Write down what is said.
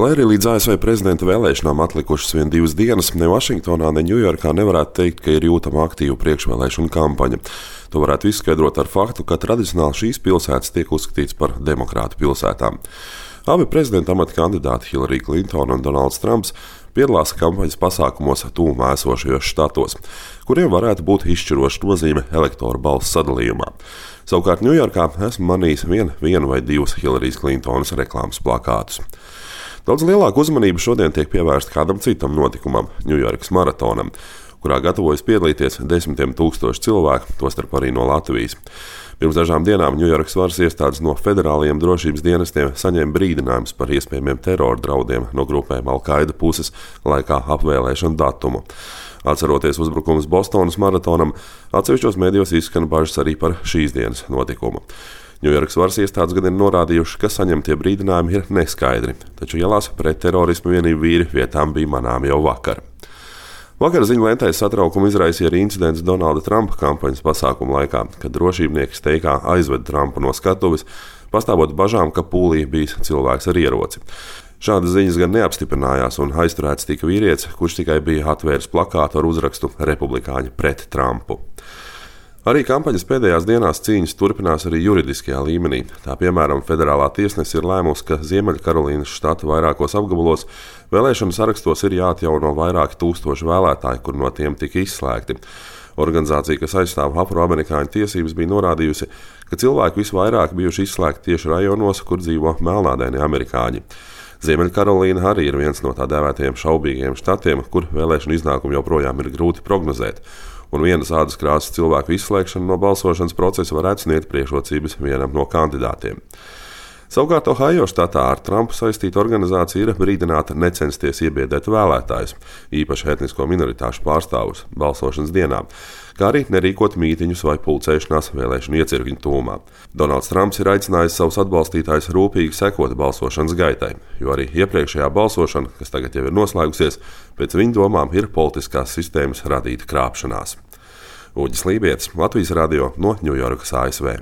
Lai arī līdz ASV prezidenta vēlēšanām atlikušas vien 2 dienas, ne Vašingtonā, ne Ņujorkā nevarētu teikt, ka ir jūtama aktīva priekšvēlēšana kampaņa. To varētu izskaidrot ar faktu, ka tradicionāli šīs pilsētas tiek uzskatītas par demokrātu pilsētām. Abi prezidenta amata kandidāti Hillary Clinton un Donalds Trumps piedalās kampaņas pasākumos tuvumā esošajos štatos, kuriem varētu būt izšķiroša nozīme elektoru balsu sadalījumā. Savukārt Ņujorkā esmu manījis vienu vai 2 Hillary Clintonas reklāmas plakātus. Daudz lielāka uzmanība šodien tiek pievērsta kādam citam notikumam – Ņujorkas maratonam, kurā gatavojas piedalīties desmitiem tūkstoši cilvēku, tostarp arī no Latvijas. Pirms dažām dienām Ņujorkas varas iestādes no federālajiem drošības dienestiem saņēma brīdinājumus par iespējamiem terora draudiem no grupēm Al-Qaida puses laikā apvēlēšanu datumu. Atceroties uzbrukumus Bostonas maratonam, atsevišķos medijos izskan bažas arī par šīs dienas notikumu. Ņujorkas varas iestādes gan ir norādījuši, ka saņemtie brīdinājumi ir neskaidri, taču ielās pretterorisma vienību vīri vietām bija manām jau vakar. Vakar ziņu lentēs satraukumu izraisīja arī incidents Donalda Trumpa kampaņas pasākumu laikā, kad drošībnieki steigā aizveda Trumpu no skatuves, pastāvot bažām, ka pūlī bijis cilvēks ar ieroci. Šādas ziņas gan neapstiprinājās un aizturēts tika vīrietis, kurš tikai bija atvēris plakātu ar uzrakstu "Republikāņi pret Trumpu". Arī kampaņas pēdējās dienās cīņas turpinās arī juridiskajā līmenī. Tā piemēram, federālā tiesnese ir lēmusi, ka Ziemeļkarolīnas štata vairākos apgabalos vēlēšanu sarakstos ir jāatjauno vairāki tūkstoši vēlētāji, kur no tiem tika izslēgti. Organizācija, kas aizstāv afroamerikāņu tiesības, bija norādījusi, ka cilvēki visvairāk bijuši izslēgti tieši rajonos, kur dzīvo melnādainie amerikāņi. Ziemeļkarolīna arī ir viens no tā dēvētajiem šaubīgiem štatiem, kur vēlēšanu iznākumu joprojām ir grūti prognozēt. Un vienas ādas krāsas cilvēku izslēgšana no balsošanas procesa varētu sniegt priekšrocības vienam no kandidātiem. Savukārt Ohajo štatā ar Trumpu saistīta organizācija ir brīdināta necensties iebiedēt vēlētājus, īpaši etnisko minoritāšu pārstāvus, balsošanas dienā, kā arī nerīkot mītiņus vai pulcēšanās vēlēšanu iecirkņu tūmā. Donalds Trumps ir aicinājis savus atbalstītājus rūpīgi sekot balsošanas gaitai, jo arī iepriekšējā balsošana, kas tagad jau ir noslēgusies, pēc viņa domām ir politiskās sistēmas radīta krāpšanās. Uģis Lībietis, Latvijas radio no Ņujorkas, ASV.